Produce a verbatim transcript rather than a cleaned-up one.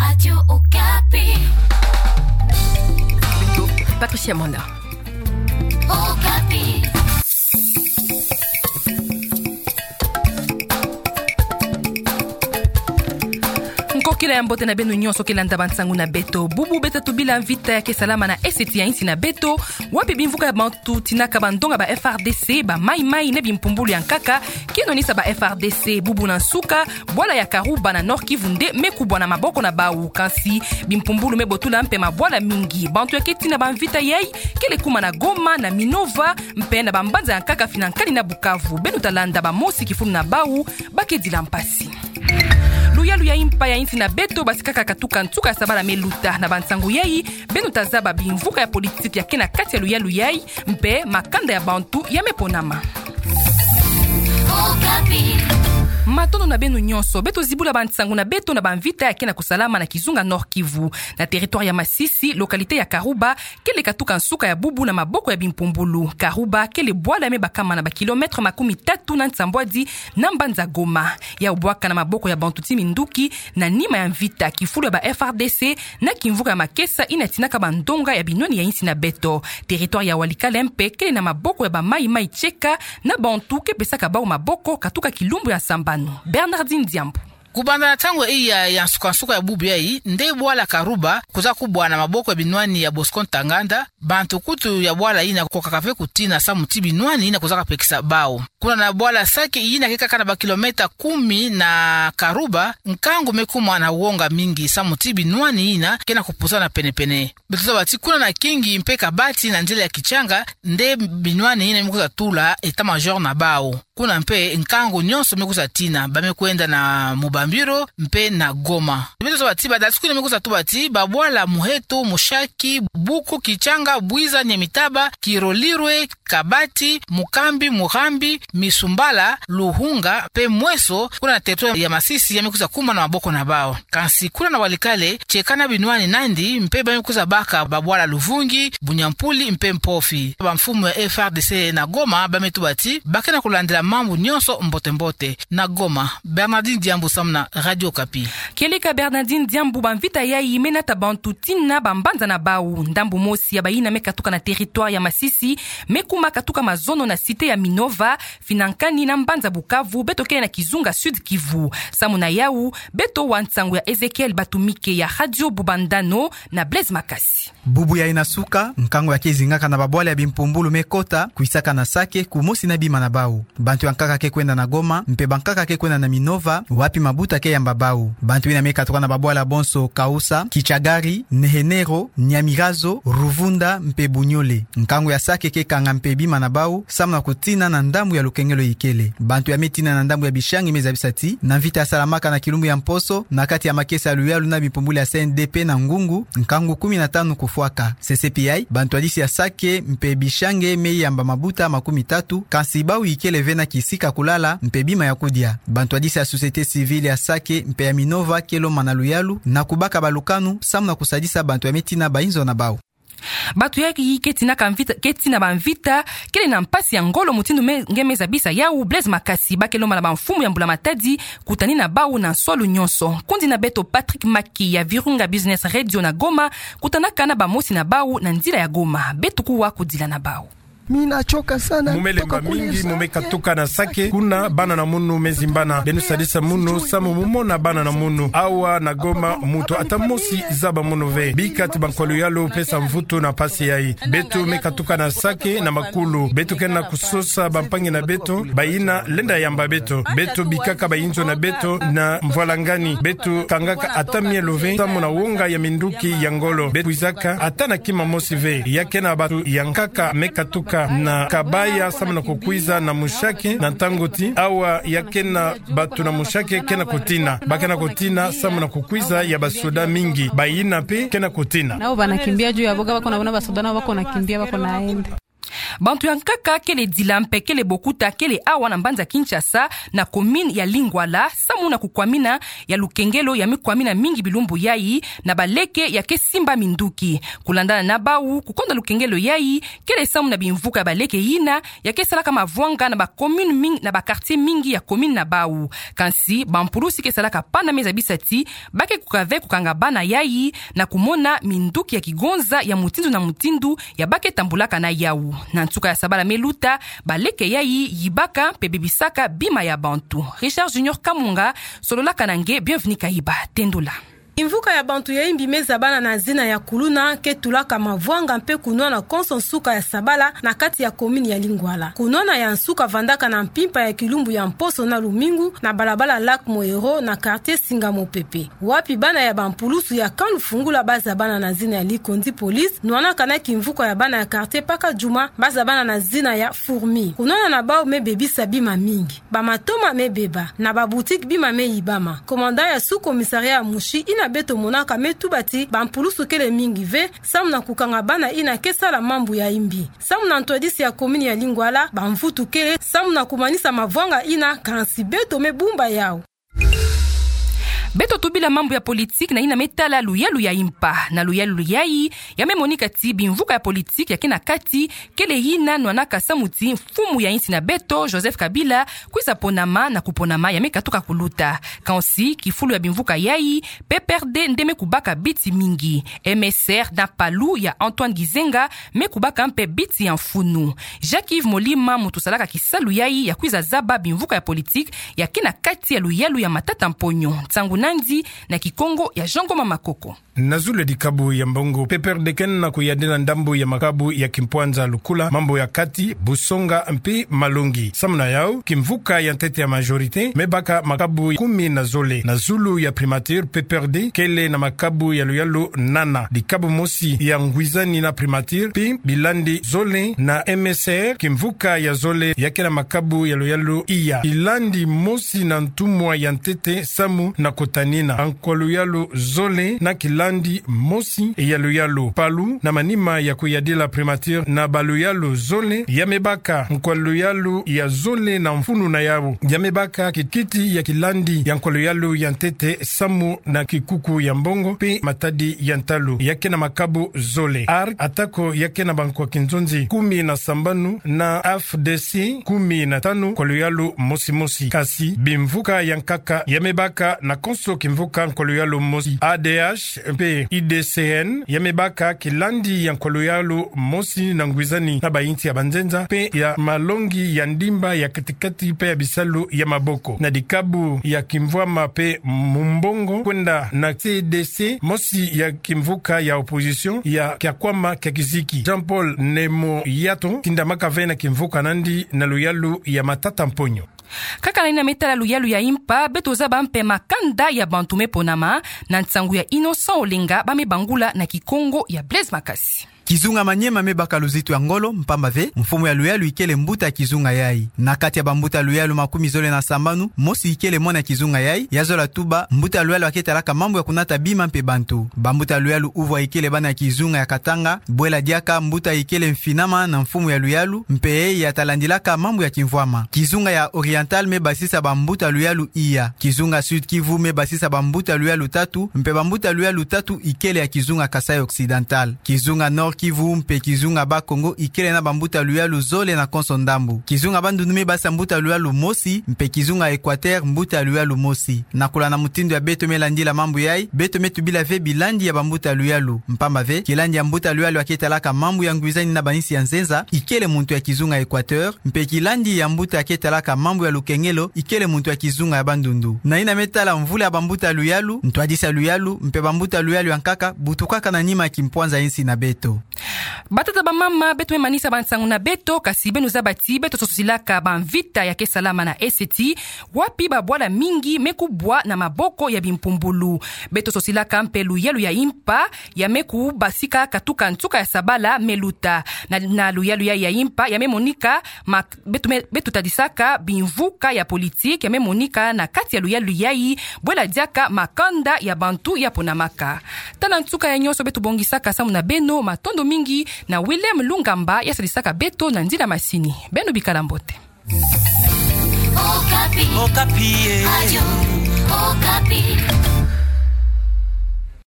Radio Okapi. Patricia Manda. Okapi. Nkokila ya mbote na beno nyonso ke landa bansangu na beto. Bubu beto tubila mvita ya ke salama na eseti ya insi na beto, wapi bimvuka ya bantu tinaka bandonga ba F R D C, ba maï-maï na bimpumbulu ya nkaka, ke nwanisa ba F R D C. Bubu na nsuka, bwala ya Karuba na Nord-Kivu nde me kubwa na maboko na bau, kansi bimpumbulu me botula mpe mabwala mingi. Bantu ya ke tina bamvita yai kele kuma na Goma, na Minova, mpe na bambanza ya nkaka finankani na Bukavu. Beno ta landa bamosi kifulu na bau ba ke dila mpasi. Luyalu ya impa ya insi na beto basikaka katuka nsuka ya sabala me luta. Na bansangu yai, beno ta zaba bimvuka ya politiki ya ke na kati ya luyalu yai, mpe makanda ya bantu ya me ponama. Okapi. Matondo na beno nyonso. Beto zibula bansangu na beto na bamvita ya ke na kusalama na kizunga Nord-Kivu. Na territoire ya Masisi, localité ya Karuba, kele katuka nsuka ya bubu na maboko ya bimpumbulu. Karuba kele bwala ya me bakama na ba kilomètre makumi tatu na nsambwadi na mbanza Goma. Yau bwaka na maboko ya bantu ti minduki, na nima ya mvita kifulu ya ba F R D C na kimvuka ya makesa yina tinaka bandonga ya binwani ya insi na beto. Territoire ya Walikale mpe kele na maboko ya ba maï-maï tieka na bantu ke pesaka bau maboko katuka kilumbu ya sambanu. Bernardine Diambu. Kubanda na ntangu iya ya nsuka-nsuka ya bubu yai, nde bwala Karuba kwiza kubwa na maboko ya binwani ya Bosco Ntaganda, bantu kutu ya bwala yina kwiza kaka ve kutina samu ti binwani yina kwizaka pekisa bau. Kuna na bwala Sake yina ke kaka na ba kilomètre kumi na Karuba, nkangu me kuma na wonga mingi samu ti binwani yina ke na kupusana pene-pene. Beto zaba ti kuna na Kingi mpe Kabati na nzila ya Kichanga, nde binwani yina me kwiza tula état-major na bau. Kuna mpe nkangu nyonso me kwiza tina, ba me kwenda na Mubambiro mpe na Goma. Beto zaba ti badati kuna me kwiza tuba ti babwala Muheto, Mushaki, Buku, Kichanga, Bwiza, Nyamitaba, Kirolirwe, Kabati, Mukambi, Murambi, Misumbala, Luhunga mpe Mweso, kuna na territoire ya Masisi, ya me kwiza kuma na maboko na bau. Kansi kuna na Walikale, tieka na binwani nandi mpe ba me kwiza baka babwala Luvungi, Bunyampuli mpe Mpofi. Bamfumu ya F R D C na Goma ba me tuba ti ba ke na kulandila mambu nyonso mbote-mbote. Na Goma, Bernardine Diambu samu na Radio Okapi. Kieleka Bernardine Diambu. Bamvita yai me nata bantu tina bambanza na bau. Ndambu mosi ya bayina me katuka na territoire ya Masisi me kuma katuka mazono na cité ya Minova, finankani na mbanza Bukavu, beto kele na kizunga Sud-Kivu. Samu na yau, beto wa nsangu ya Ezekiel Batumike ya Radio Bubandano na Blaise Makasi. Bubu yai na nsuka, nkangu ya ke zingaka na babwala ya bimpumbulu me kota, kwisaka na Sake, kumosi na bima na bau. Bantu ya nkaka ke kwenda na Goma, mpe bankaka ke kwenda na Minova, wapi mabuta ke yamba bau. Bantu yina me katuka na babwala bonso Kausa, Kichagari, Nehenero, Nyamirazo, Ruvunda, mpe Bunyole. Nkangu ya Sake ke kanga mpe bima na bau, samu na kutina na ndambu ya lukengelo ikele. Bantu ya me tina na ndambu ya Bishangi me zabisa ti, na mvita ya salamaka na kilumbu ya mposo, na kati ya makesa ya luyalu na bimpumbulu ya C N D P na Ngungu, nkangu kumi na tanu kufwaka. Sese pi yai, bantwadisi ya Sake mpe Bishangi me yamba mabuta makumi tatu, kansi bau ikele ve na kisika kulala mpe bima ya kudia. Bantwadisi ya société civile ya Sake mpe ya Minova ke lomba na luyalu na kubaka balukanu, samu na kusadisa bantu ya me tina bayinzo na bau. Bantu yai ke tinaka mvita, ke tina bamvita, kele na mpasi ya ngolo mutindu me, nge me zabisa yau Blaise Makasi, ba ke lomba na bamfumu ya mbula matadi kutani na bau na nswalu nyonso. Nkundi na beto Patrick Maki ya Virunga Business Radio na Goma, kutanaka na bamosi na bau na nzila ya Goma. Beto kuwa kudila na bau. Mimi nachoka sana. Mu me lemba mingi, mu me katuka na Sake, kuna bana na munu me zimbana. Beno sadisa munu, samu mu mona bana na munu. Awa na Goma, muntu ata mosi zaba munu ve. Bika ti bankwa luyalu pesa mvutu na mpasi yai. Beto me katuka na Sake na makulu. Beto ke na kusosa bampangi na beto, bayina lenda yamba beto. Beto bikaka bayinzo na beto na mvwalangani. Beto kangaka ata mielo ve, samu na wonga ya minduki ya ngolo. Beto kwizaka ata na kima mosi ve. Ya ke na bantu ya nkaka me katuka na Kabaya samu na kukwiza na Mushaki, na ntangu ti awa ya ke na bantu na Mushaki ke na kutina. Ba ke na kutina samu na kukwiza ya basoda mingi. Bayina mpe ke na kutina. Nao banakimbia juu ya boga, bako na bona basoda nao bako nakimbia, bako naenda. Bantu ya nkaka kele dila mpe kele bokuta kele awa na mbanza Kinshasa, na commune ya Lingwala, samu na kukwamina ya lukengelo ya mikwamina mingi bilumbu yai, na baleke ya ke simba minduki. Kulandana na bau, kukonda lukengelo yai kele samu na bimvuka ya baleke yina ya ke salaka mavwanga na ba commune ming-, na ba quartier mingi ya commune na bau. Kansi, bampulusi ke salaka pana me zabisa ti ba ke kuka ve kukanga bana yai, na kumona minduki ya kigonza ya mutindu na mutindu ya ba ke tambulaka na yau. Na nsuka ya sabala me luta, baleke yai yibaka mpe bebisaka bima ya bantu. Richard Junior Kamunga sololaka na nge, Bienvenue Kayiba. Tendula. Kimvuka ya bantu ya imbi me zabana na zina ya kuluna ke tulaka mavwanga mpe kunwana konso nsuka ya sabala na kati ya commune ya Lingwala. Kunwana ya nsuka vandaka na mpimpa ya kilumbu ya mposo na lumingu na balabala Lac Moero na quartier Singa Mopepe, wapi bana ya bampulusu ya camp Lufungula ba zabana na zina ya Likonzi Police nwanaka na kimvuka ya bana ya quartier Pakadjuma ba zabana na zina ya Fourmi. Kunwana na bau me bebisa bima mingi. Bamatoma me beba, na ba boutique bima me yibama. Commandant ya sous-commissariat ya Mouchy, yina beto monaka, me tuba ti bampulusu kele mingi ve samu na kukanga bana yina ke sala mambu ya imbi. Samu na ntwadisi ya commune ya Lingwala, bamvutu kele samu na kumanisa mavwanga yina, kansi beto me bumba yau. Beto tubila mambu ya politique na yina me tala luyalu ya impa. Na luyalu yai, ya me monika ti bimvuka ya politique ya ke na kati kele yina nwanaka samu ti mfumu ya insi na beto, Joseph Kabila, kwiza ponama na kuponama ya me katuka kuluta. Kansi, kifulu ya bimvuka yai, P P R D nde me kubaka biti mingi. M S R na PALU ya Antoine Gizenga me kubaka mpe biti ya mfunu. Jacques-Yves Molima, muntu salaka kisalu yai ya kwiza zaba bimvuka ya politique ya ke na kati ya luyalu ya matata mponyo. Nsangu nandi na Kikongo ya Jean Ngoma Makoko. Na zulu ya dikabu ya mbongo, P P R D ke na kuyadila ndambu ya makabu ya kimpwanza lukula, mambu ya kati, busonga mpe malongi. Samu na yau, kimvuka ya ntete ya majorité me baka makabu kumi na zole. Na zulu ya primature, P P R D kele na makabu ya luyalu nana. Dikabu mosi ya ngwizani na primature, mpe bilandi zole. Na M S R, kimvuka ya zole ya ke na makabu ya luyalu iya. Bilandi mosi na ntumwa ya ntete samu na kutanina nkwa luyalu zole na kilandi mosi ya luyalu. PALU, na manima ya kuyadila primature na baluyalu zole, ya me baka nkwa luyalu ya zole na mfunu na yau. Ya me baka kikiti ya kilandi ya nkwa luyalu ya ntete samu na kikuku ya mbongo mpe matadi ya ntalu, ya ke na makabu zole. ARC, atako ya ke na bankwa kinzonzi kumi na sambanu, na F D C kumi na tanu, nkwa luyalu mosi mosi. Kasi, bimvuka ya nkaka ya me baka na konso kimvuka nkwa luyalu mosi. A D H mpe U D C N ya me baka kilandi ya nkwa luyalu mosi na ngwizani na bainsi ya banzenza mpe ya malongi ya ndimba ya katikati mpe ya bisalu ya maboko. Na dikabu ya kimvwama mpe mumbongo, kwenda na C D C, mosi ya kimvuka ya opposition ya Kiakwama Kiakiziki, Jean-Paul Nemo Yato, tindamaka ve na kimvuka nandi na luyalu ya matata mponyo. Kaka na yina me tala luyalu ya impa, beto zaba mpe makanda ya bantu me ponama, na nsangu ya Innocent Olenga, ba me bangula na Kikongo ya Blaise Makasi. Kizunga Maniema me baka luzitu ya ngolo, mpamba ve mfumu ya luyalu ikele mbuta ya kizunga yai. Na kati ya bambuta luyalu makumi zole na sambanu, mosi ikele mwana ya kizunga yai. Ya zola tuba mbuta luyalu ya ke talaka mambu ya kunata bima mpe bantu. Bambuta luyalu uvwa ikele bana ya kizunga ya Katanga, bwela diaka mbuta ikele mfinama na mfumu ya luyalu, mpe yeye ya talandilaka mambu ya kimvwama. Kizunga ya Oriental me basisa bambuta luyalu iya. Kizunga Sud-Kivu me basisa bambuta luyalu tatu, mpe bambuta luyalu tatu ikele ya kizunga Kasaï Occidental. Kizunga Nord-Kivu mpe kizunga Bas-Congo ikele na bambuta luyalu zole na konso ndambu. Kizunga Bandundu me basisa mbuta luyalu mosi, mpe kizunga Equateur mbuta luyalu mosi. Na kulana mutindu ya beto me landila mambu yai, beto me tubila ve bilandi ya bambuta luyalu. Mpamba ve, kilandi ya mbuta luyalu ya ke talaka mambu ya ngwizani na bainsi ya nzenza ikele muntu ya kizunga Equateur, mpe kilandi ya mbuta ya ke talaka mambu ya lukengelo ikele muntu ya kizunga ya Bandundu. Na yina me tala mvula ya bambuta luyalu, ntwadisi ya luyalu, mpe bambuta luyalu ya nkaka, butukaka na nima ya kimpwanza ya insi na beto. Batata, bamama, beto me manisa bansangu na beto, kasi beno zaba ti beto sosilaka bamvita ya ke salama na eseti, wapi babwala mingi me kubwa na maboko ya bimpumbulu. Beto sosilaka mpe luyalu ya impa, ya me kubasika katuka nsuka ya sabala me luta. Na, na luyalu ya, ya impa, ya me monika, ma, beto me, beto tadisaka bimvuka ya politique ya me monika na kati ya luyalu yai, bwela diaka makanda ya bantu ya ponamaka. Tala nsuka ya nyonso beto bongisaka samu na beno, matondo. mingi na William Lungamba, ya sadisaka beto na nzila masini. Beno bikala mbote. Okapi. Okapi, eh. Radio Okapi.